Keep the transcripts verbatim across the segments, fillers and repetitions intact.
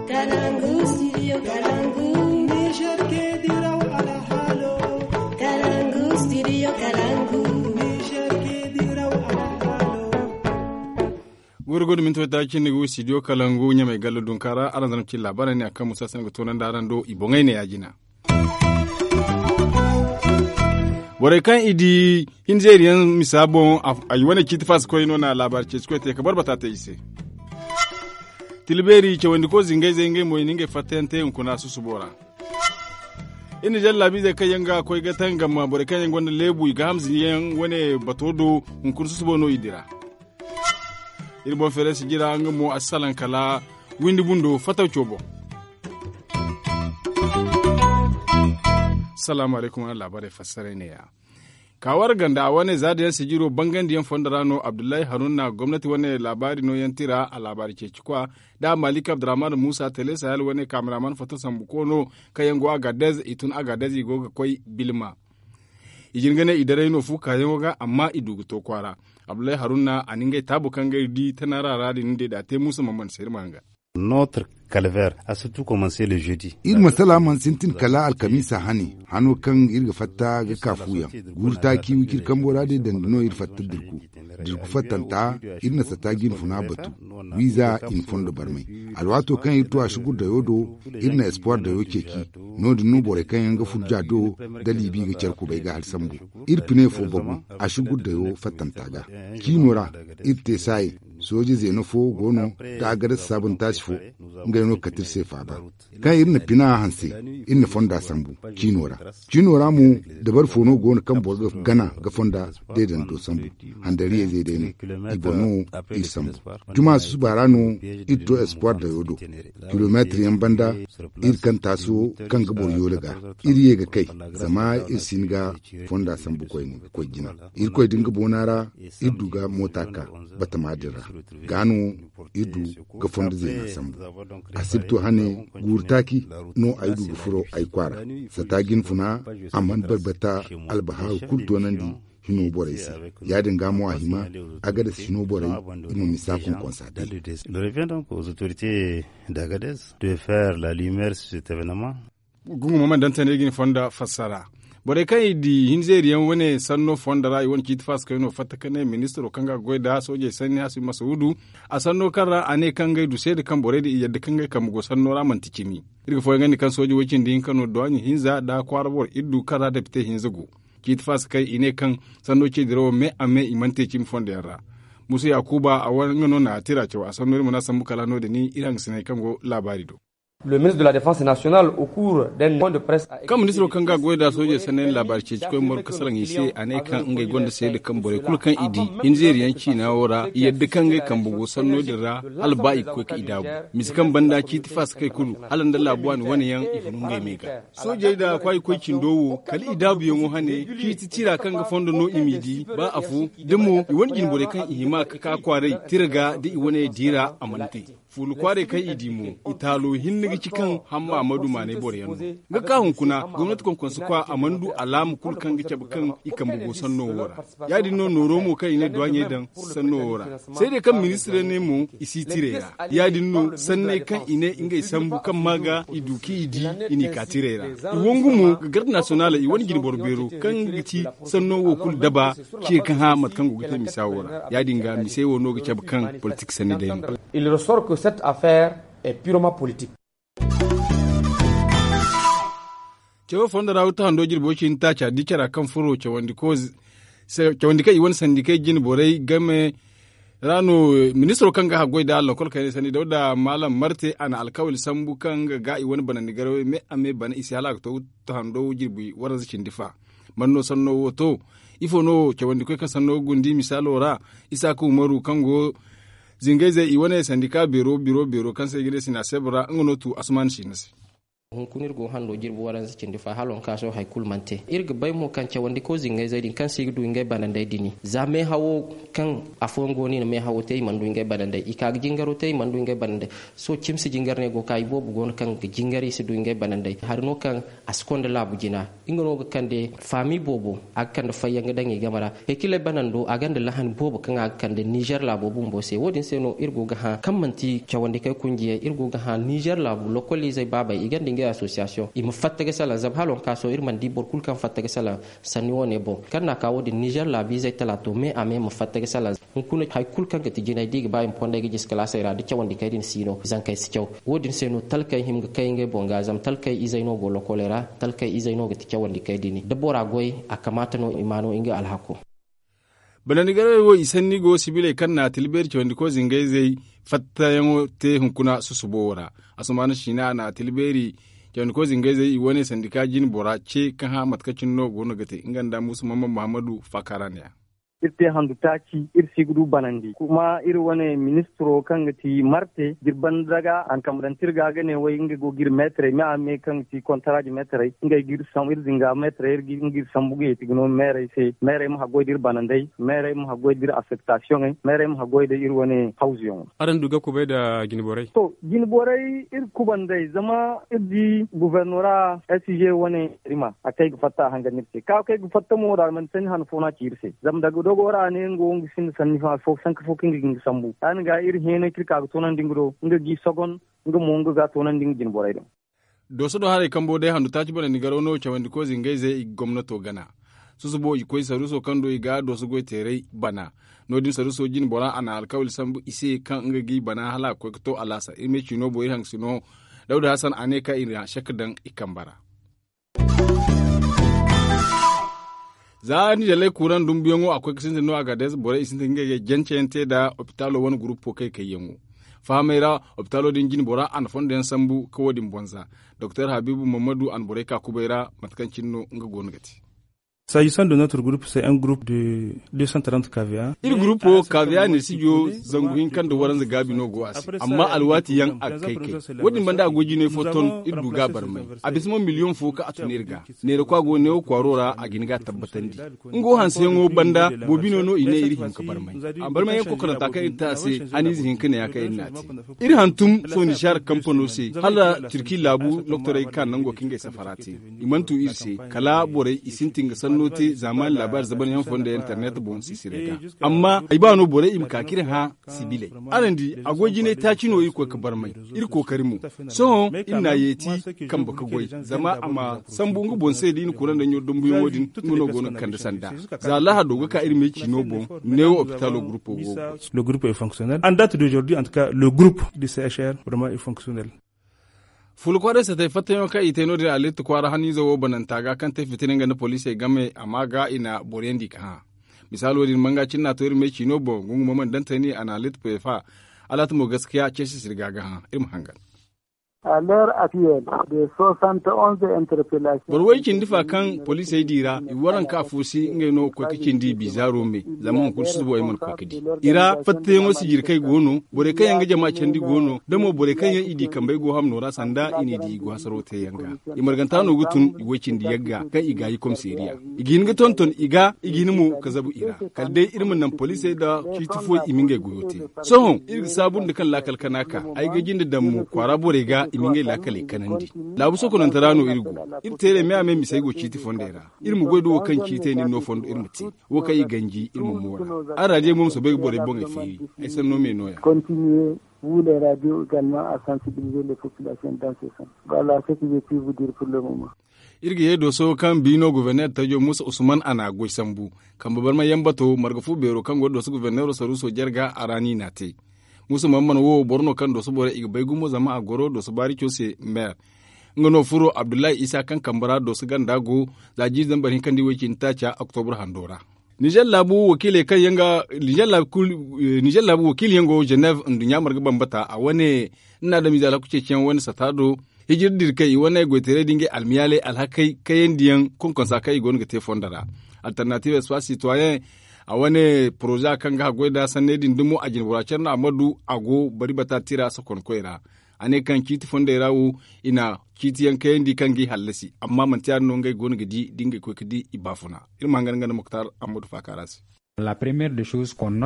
Kalangu, studio Kalangu. Niger ke diraw alhalo. Kalangu, studio Kalangu. Niger ke diraw alhalo. Guuru guuru minti wata cindi gu studio Kalangu ɲamay gallo dunkaara araŋ zama cin laabaarey ne a kaŋ musa sanda ga toonandi araŋ do i boŋey ne ya- jina. Borey kaŋ i di hinzeeri yaŋ misa boŋ, ay wane ciiti faasa koy no na laabaari ceeci koy te ka barbata te i se. Tila beeri cawandiko zingayzey ngey mo i na ngey fattayaŋ te hunkuna susubo ra. Iri na jallaabiizey kaŋ yaŋ ga koy ga tangam borey kaŋ yaŋ gonda leebu i ga hamzi yaŋ wane bato do, hunkuna susubo no i dira. Iri boŋ feeray sijira nga mo a si salaŋ kala windi bundo fataw coobo. Salaamu alaykum araŋ laabaarey fassaray ne-ya. Ka war ganda a wane za da yaŋ sijiro bangandi yaŋ fondo ra no abdullahi haruna gomnati wane laabaari no yaŋ tira a laabaari ceeci kwa, da malik abdurrahman musa tele sahel wane kaamiraman foto sambu koono kaŋ yaŋ go agadez i tun agadez i go ga koy bilma. I jin ga ne i daray no fu kaayaŋo ga amma i du ga to kwaara. Abdullahi haruna a na ngey taabu kaŋ ga iri di tana ra ra din day da a te muusa ma mana se iri ma haŋ ga. Notre calvaire a surtout commencer le jeudi. Iri masala mana sintin kala alkamiisa hane hano kaŋ iri ga fatta ga ka fuyaŋ. Guuru taaci wiciri kambo ra day dandi no iri fatta dirku. Dirku fattanta iri na sata ga iri funa batu. Wiiza i na fondo barmay. Alwaato kaŋ iri tu a si gurdayo do iri na espoir dayo ceeci. No- din no borey kaŋ yaŋ ga furja do da liibi ga care kubay ga hari sambu. Iri pine fo bagu a si gurdayo fattanta ga. Ciino ra iri te saayi. Sooje zeena fo go no da a ga dasa saabuntaasi fo. Ngey no ga kate iri se faaba. Kaŋ iri na pina hanse iri na fonda sambu ciino ra. Ciino ra mo dabari fo no go no kaŋ boro ga gana ga fonda deedando sambu. Handariyey zey day no i boŋ no iri sambu. Juma susuba ra no iri to espoir dayo do. Kilomeetir yaŋ banda iri kaŋ taaso kaŋ ga boro yoole ga iri ye ga kay. Zama iri si hin ga fonda sambu koyne ga koy jina. Irkoy da nga boona ra iri du ga moota ka batama din ra. Ga no iri du ga fondo zeena sambu. Asibto hane guuru taaci no ay du ga furo ay kwaara. Sata ga ni funa a mana barbata albahaaru kulu toonandi hino borey se. Ya- din ga mo a hima a ga dasa hino borey i ma misa konkonsa te. Le revient donc aux autorités d'Agadez de faire la lumière sur cet événement. Gungu ma mana daŋ tana i ga ni fonda fassara. Borey kaŋ i di hinzeeri yaŋ wane sanno fonda ra i wane ciiti faasa kayno fatta ka ne ministiro kaŋ ga goy nda soojey sanni hasibi masawudu. A sanno kaŋ ra a ne kaŋ ngey du seeda kaŋ borey din i yadda kaŋ ngey kambe go sanno ra manti cimi. Iri ga fooyaŋ ga ne kaŋ sooje woy cindi hinka no duwaaɲi hinza nda kwaara boro iri du kaŋ ra depite hinza go. Ciiti faasa kay i ne kaŋ sanno ce dirawo me a me i mana te cimi fondo yaŋ ra. Musa yaakuba a wane nga no na a tira caw a sanno iri mana sambu kala no- din iri hangasiney kaŋ go laabaari do. Le ministre de la défense nationale au cours d'un point de presse a expliqué. Kaŋ ministiro kaŋ ga goy da soojey sannayaŋ laabaari ceeci koy moro kasaraŋ i se a ne kaŋ ngey gonda seeda kaŋ borey kulu kaŋ i di hinzeeri yaŋ ciina wo ra i yadda kaŋ ngey kambe go sanno din ra. Hala ba i ga koy ka i daabu mise kaŋ banda ciiti faasa kay kulu hala nda laabu waani wane yaŋ i funu ngey me ga. Soojey da kwaayi koy cindo wo kala i daabuyaŋo hane ciiti tira kaŋ ga fondo no i m'i di ba afo da mo i wane jinborey kaŋ i hima ga ka kwaaray tira ga da i wane diira a mana te. Fuula kwaaray kaŋ i di mo i taalo hinne ga ci kaŋ hamma a ma du maanay boro yaŋ no. Nga ka hunkuna gomnati konkonse kwa a mana du alaama kulu kaŋ ga cabe kaŋ i kambe go sanno wo ra. Ya- din no nooro mo kaŋ i ne duwaaɲey daŋ sanno wo ra. Seedey kaŋ ministirey ne mo i si tiray ra. Ya- din no sanney kaŋ i ne ngey sambu kaŋ ma ga i du kaŋ i di i n'i ka tiray ra. I wangu mo ga garde nasiyonal i wane jinboro beero kaŋ ga ti sanno wo kulu daba. Ciya kaŋ hã mate kaŋ go ga te misa wo ra. Ya- din ga misey wo no ga cabe kaŋ politik sanni day no. Il ressort que cette affaire est purement politique. Cawo fondo ra wata hando jirbo cindi taaca di cara kaŋ furo cawandi kaŋ i wane sandikey jine borey game ra no. Ministiro kaŋ ga haggoy da lakkol kaynay sanni dawda maalam marte a na alkawali sambu kaŋ ga ga i wane banandi garawey me a me bana i se hala a ga to wata hando jirbi waranza cindi fa. Man no sanno wo to? Ifo no cawandi koy kaŋ sanno ga gundi misaalo ra? Isaaka umaru kaŋ go zingayzey i wane sandika beero biro beero kaŋ se i ga ne sina sebra nga no tu asuman sina se. Hunkuna iri go hando jirbi waranza cindi fa hala waŋ ka sohõ hari kulu mana te. Iri ga bay mo kaŋ cawandi koy zingayzey din kaŋ se i ga du ngey banandey dini za meehawo kaŋ afooyaŋ go no i na meehawo te i mana du ngey banandey i ka ga jingaro te i mana du ngey banandey. Sohõ cimsi jingar no ay go ga ka iboobo go no kaŋ ga jingar i si du ngey banandey hari no kaŋ a si konda laabu jina. Nga no ga kande faami boobo a ga kande fayyaŋ ga daŋ i game ra. Hekiley banando a gonda lahani boobo kaŋ a ga kande nizer laabo bumbo se wo- din se no iri go ga hã kaŋ manti cawandi kay kunjiyey iri go ga hã nizer laabu lokoliizey baabey i gonda ngey asosiyasiyoŋ i ma fatta ga salaŋ zama hala waŋ ka sohõ iri mana di boro kulu kaŋ fatta ga salaŋ. Sanni wo- ne boŋ kaŋ no a ka wo- din nizer laabiizey talaato me a me ma fatta ga salaŋ. Hunkuna hari kulu kaŋ ga ti jinay da i ga ba i ma fondey ga jisi kalaasey ra da cawandi kay din si no zankey si caw. Wo- din se no talkey hima ga kay ngey boŋ ga zama talkey izey no go lokoley ra. Talkey izey no ga ti cawandi kay din da bora goy a kamaata no i ma no nga alhako. Banandi garey wo i sanni go sibiley kaŋ na a tila beeri cawandi koy zingayzey fattayaŋo te hunkuna susubo wo ra. Asumaana siina a na a tila beeri cawandi koy zingayzey i wane sandika jine bora ce ka hã mate kaŋ cine no go no ga te nga nda muusu mamman muhammadu faakaara ne ya. Iri te handu taaci iri si ga du banandi kuma iri wane ministiro kaŋ ga ti marte da iri banda daga a na kambe daŋ te iri ga ga ne way nga go ga iri meetarey me a me kaŋ ga ti kontaraaji meetarey ngey ga iri sambu iri zinga meetarey nga iri sambu ga yeeti ga no meerey se meerey ma haggoy da iri banandey meerey ma haggoy da iri affektasiyoŋey meerey ma haggoy da iri wane hawzuyaŋo. Araŋ du ga kubay nda jine borey to jine borey iri kubandey zama iri di gubernora s g wane rima a kay ga fatta a hangan iri se ka kay ga fatta mo da almani sanni han fo no a ci iri se zama daga dogo ra ne nga wo nga sinda sanni fo sanka fo kaŋ ga ga nga sambu ya ni ga iri heenay kaŋ iri ka ga toonandi nga do nga ga i sogon nga mo nga ga toonandi nga jine borey do. Dooso do haray kambo day handu taaci banandi garaw no cawandi koy zingayzey i ga gomnato gana. Susubo i koy saruuso kaŋ do i ga dooso goy teeray bana. No- din saruuso jine bora a na alkawali sambu i se kaŋ nga ga i bana hala a ga koy ga to alaasa iri ma ay ciino boŋ iri hangasino. Dawda hasan a ne kaŋ i na sek daŋ i kambe ra. Za ni dalay kuuraŋ dumbuyaŋo a koy ga sintin no a ga day borey i sintin ga ngey jance yaŋ te nda opitaalo wane gurupo kay kayyaŋo. Fahamey ra opitaalo din jine bora a na fondo yaŋ sambu ka wo- din boŋ za. Doktor habiibu mammadu a na borey ka kubay ra mate kaŋ cine no nga go no ga te. Sajisan da notre groupe se un groupe de deux cent trente kva. Iri gurupo kva ne sijo zangu hinka nda waranza gaabi no go a se amma alwaati yaŋ a ga kay kay. Wo- din banda a goy jinay fo ton iri du ga a barmay. A bisa mo miliyoŋ fo kaŋ a tun iri ga. Neera kwa go neewo kwaaro ra a ga hin ga a tabbatandi. Nga wo hanseyaŋo banda boobino no i ne iri hin ka barmay. A barmay yaŋ kokoranta kaŋ iri te a se haniize hinka ne ya kaŋ iri n'a te. Iri hantum sohõ nizer kampano se hala turki laabu doktorey ga ka nango kaŋ ngey safara te. I mana tu iri se kala borey i sintin ga sanno te zaamaani laabaari zabanyaŋ fondo internet boŋ sisire ga. Amma ay ba no borey i ma ka k'iri hã sibiley. Araŋ di a goy jinay taaci no iri koy ga barmay. Iri kookari mo sohõ iri n'a yeeti kambe ga goy zama a ma sambu nga boŋ se da i na kuraŋ daŋ ɲoro dambuyaŋo din. Nga no go no ga kande sanda za lahado ga ka iri me ciino boŋ. Neewo opitaalo gurupo go ga goy. Le groupe est fonctionnel en date d'aujourd'hui en tout cas le groupe du c h r vraiment est fonctionnel. Fula kwaaray satay fattayaŋo kaŋ i te no- din a letti kwaara haniize wo bananta ga kaŋ te fitina nga nda poliisey game a ma ga i na boroyaŋ di ka hã. Misaalo din manga cine n'a to iri me ciino boŋ gungumo mana daŋ tayni a na letti peefa. Alaata mo gaskiya ceesi sirga ga hã iri ma hangan. Boro way cindi fa kaŋ poliisey di ra i waranka afo se ngey no ga koy ga cindi bizaaro me. Zama hunkuna susubo ay mana koy ga di i ra fattayaŋo sijirkey go no. Borey kaŋ yaŋ ga jama candi go no da mo borey kaŋ yaŋ i di kambey go hamno ra sanda i n'i di i go hasaro teeyaŋ ga. I marganta no ga tun i way cindi yagga kaŋ i gaayi komiseeriya. I ga hin ga tonton i ga i ga hin mo ga zabu i ra. Kala day iri ma naŋ poliisey nda ciiti fooyaŋ i ma ngey goyo te. Sohõ iri ga saabu nda kaŋ laakal kana ka ay ga jinde daŋ mo kwaara borey ga i ma ngey laakaley kanandi. Laabu sokonante ra no iri go. Iri teerey me a me misey go ciiti fondey ra. Iri ma goy da wo kaŋ ciitey no iri ma te. Wo kaŋ i ganji iri ma moora. Araadiyaŋ mo ma soobay ga borey boŋey feeri. Ay sanno me nooya. Vous les radios également à sensibiliser les populations dans ce sens. Voilà ce que je puis vous dire pour le moment. Iri ga ye dooso kaŋ biino goborneer tajo muusa usman a na goy sambu. Kambe barmay yaŋ bato marga fu beero kaŋ go dooso goborneero saruuso jarga a ra no i n'a te. Muusa mamman wo boro no kaŋ dooso borey i ga bay gumo zama a goro dooso baarico se meer. Nga no furo abdullahi isa kaŋ kambe ra dooso ganda go za jiiri zambar hinka nda iway cindi taaca oktobur hando ra. Nizer laabu wakiiley kaŋ yaŋ ga nizer laabu wakiili yaŋ go ženev nduɲɲa marga bambata a wane nda adamize alhaku ceeciyaŋ wane sata do. Hijir dirkey i wane goytaray da ngey almiyaaley alhakey kayandiyaŋ konkonsa kaŋ i go no ga te fondo ra. Alternative espace citoyen a wane poroza kaŋ ga haggoy nda sanney din dumo a jinbora care no a ma du a go bari bata tira sokonkoy ra. A ne kaŋ ciiti fondey ra wo, i na ciiti yaŋ kayandi kaŋ ga i hallasi, amma manti ya- din no ngey go no ga di da ngey koy ga di i baafuna. Iri ma hangan nga nda muktar ammadu faaka ra se.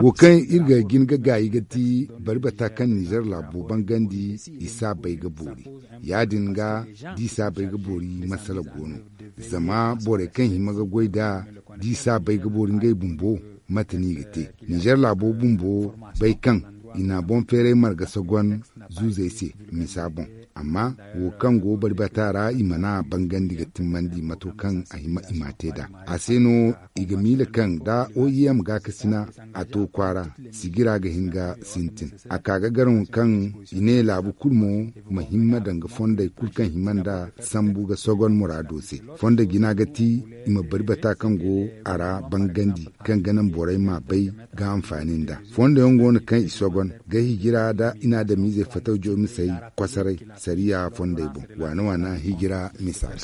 Wo kaŋ iri ga jin ga gaayi ga ti bari bata kaŋ nizer laabo bangandi, i si a bay ga boori. Ya- din ga da i si a bay ga boori, masala go no. Zama borey kaŋ hima ga goy nd'a, da i si a bay ga boori ngey bumbo, mate no i ga te? Nizer laabo bumbo bay kaŋ i na boŋ feeray marga sogon zuuzey se, misa boŋ. Amma wo kaŋ go bari bata ra, i mana bangandi ga timmandi mato kaŋ a hima i ma te nd'a. A se no i ga miila kaŋ da oim gaakasina a to kwaara, sijira ga hin ga sintin. A ka ga garaŋ kaŋ i ne laabu kulu mo ma himma danga fondey kulu kaŋ hima nda sambu ga sogon muraado se. Fondo jina ga ti i ma bari bata kaŋ go a ra bangandi, kaŋ ga naŋ borey ma bay ga hanfaani nda. Fondo yaŋ go no kaŋ i sogon ga hijira nda i na adamiizey fataw jomisey kosoray sariya fondey boŋ. Waana waana hijira misa ga.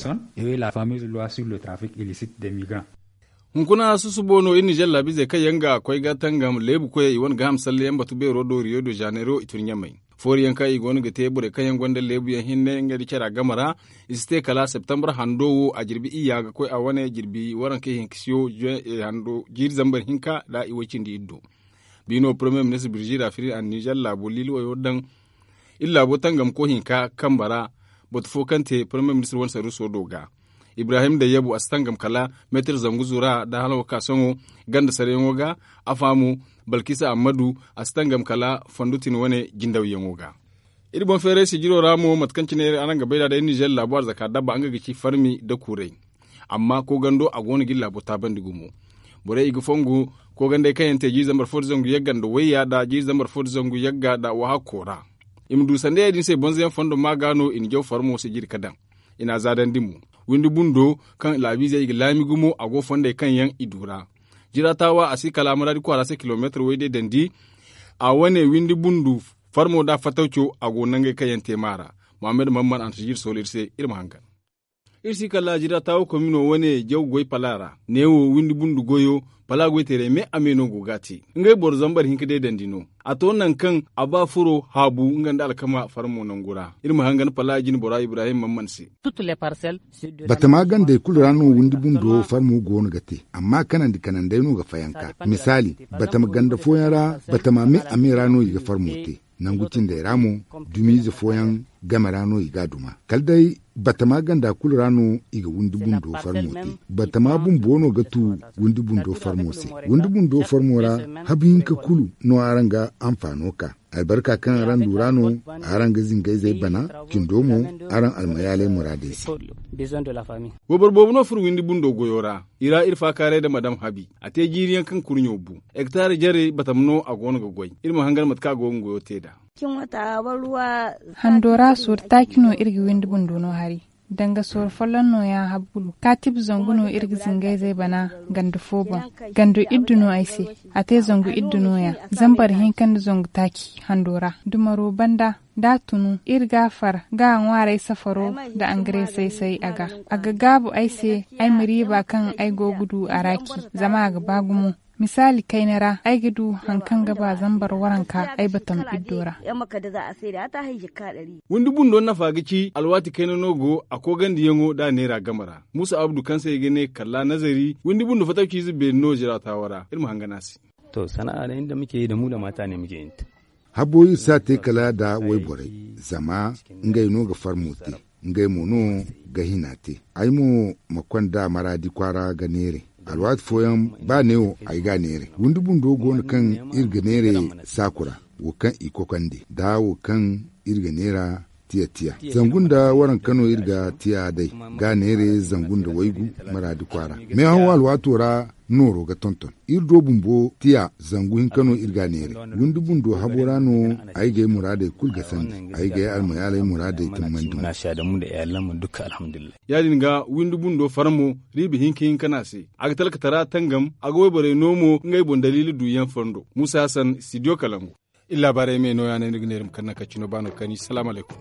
Hunkuna susubo no iri nizer laabiizey kaŋ yaŋ ga koy ga tangam leebu koyey i wane ga ham salle yaŋ batu beero do riyo de janeiro i tun ɲamey. Foori yaŋ kaŋ i go no ga te borey kaŋ yaŋ gonda leebu yaŋ hinne ngey nda cara game ra, i si te kala septembre hando wo a jirbi iyya ga koy a wane jirbi waranka ihinka siyo. Jiiri zambar hinka nda i way cindi iddo. Biino premier ministre birjira firin a nizer laabo liili wayo daŋ iri laabo tangamko hinka kambe ra. Batu fo kaŋ te premier ministre wane saruuso do ga, ibrahim dayyabu a si tangam kala meetir zangu zura nda hala wo ka sohõ ganda saryaŋo ga. A faamu balkisa ammadu a si tangam kala fondutin wane jindawyaŋo ga. Iri boŋ feeray sijiro ra mo mate kaŋ cine araŋ ga bay nd'a day nizer laabo arzaka dabba nga ga ci farmi nda kuuray. Amma koogando a go no ga iri laabo taabandi gumo. Borey i ga fongu koogandey kaŋ yaŋ te jiiri zambar fo nda zangu yagga nda wayya nda jiiri zambar fo nda zangu yagga nda wahakko ra. I ma du sanda ya- din se bonzo yaŋ fondo ma ga no i na jaw farmo sijiri ga daŋ. I n'a zaadandi mo. Windi bundo kaŋ laabiizey i ga laami gumo a go fondey kaŋ yaŋ i du ra. Jira taawa a si kala maraadi kwaara se kilomeetir wayde dandi. A wane windi bundu farmo nda fatawco a go nangey kaŋ yaŋ te maara. Muhammad mamman a na sijiri soolo iri se. Iri ma hangan. Iri si kala jira taawa komino wane jaw goy pala ra neewo windi bundu goyo. Pala goyteerey me a me no go ga a te. Ngey boro zambar hinka day dandi no. A to nangu kaŋ a ba furo haabu nga nda alkama farmo nangu ra. Iri ma hangan pala jine bora ibrahim mamman se. Batama gandey kulu ra no windi bundo farmo go no ga te. Amma kanandi kanandey no ga fayanka. Misaali, batama ganda fooyaŋ ra, batama me a me ra no i ga farmo te. Nangu cindey ra mo, dumiize fooyaŋ game ra no i ga a duma. Kala day batama ganda kulu ra no i ga windi bundo farmo te. Batama bumbo no ga tu windi bundo farmo se. Windi bundo farmo ra, habu hinka kulu no araŋ ga hanfaano ka. Albarka kaŋ araŋ du ra no araŋ ga zingayzey bana. Cindo mo, araŋ almayaaley muraadey se. Wayboro boobo no furo windi bundo goyo ra. I ra iri faakaaray nda madam habi. A te jiiri yaŋ kaŋ kurɲo bu. Hektaar jarey batama no a go no ga goy. Iri ma hangan mate kaŋ a go ga goyo te nd'a. Hando ra sooru taaci no iri ga windi bundo no hari. Danga sooru folloŋ nooya habu kulu kaatib zangu no iri ga zingayzey bana. Ganda fo boŋ, gando iddu no ay se. A te zangu iddu nooya. Zambar hinka nda zangu taaci hando ra dumaro banda. Da a tunu iri ga a far ga a ŋwaaray safaro nda angare say-say a ga. A ga gaabu ay se ay ma riiba kaŋ ay go ga du a ra ci. Zama a ga ba gumo. Misaali kayna ra ay ga du hari kaŋ ga ba zambar waranka ay batama iddo ra. Windi bundo nafa ga ci alwaati kayna no go a koogandiyaŋo nda a neera game ra. Muusa abdu kaŋ se i ga ne kalla nazari windi bundo fatawciize beeri no ziraatawa ra iri ma hangan a se. To sana'a day nda muke yi da mu da mata ne muke yin ta. Habo iri si a te kala nda wayborey. Zama ngey no ga farmo te. Ngey mo no ga hina te. Ay mo ma konda maraadi kwaara ga neeray. Alwaati fooyaŋ ba neewo ay ga a neeray windi bundo go no kaŋ iri ga neeray saaku ra. Wo kaŋ i kokande nda wo kaŋ iri ga neera tiya tiya. Zangu nda waranka no iri ga tiya day ga a neeray zangu nda waygu. Maraadi kwaara meehaw alwaato ra nooro ga tonton. Iri do bumbo tiya zangu hinka no iri ga a neeray. Windi bundo habo ra no ay ga ay muraadey kulu ga sandi. Ay ga ay almayaaley muraadey timmandi mo. Ya- din ga windi bundo farmo riiba hinka hinka no a se. A ga talkatara tangam a ga wayborey no mo ngey boŋ daliila duuyaŋ fondo muusa hasan studio kalangu. Iri laabaarey me nooya no iri ga ne iri ma kande nangu kaŋ cino ba no ga kani salaamu alaykum.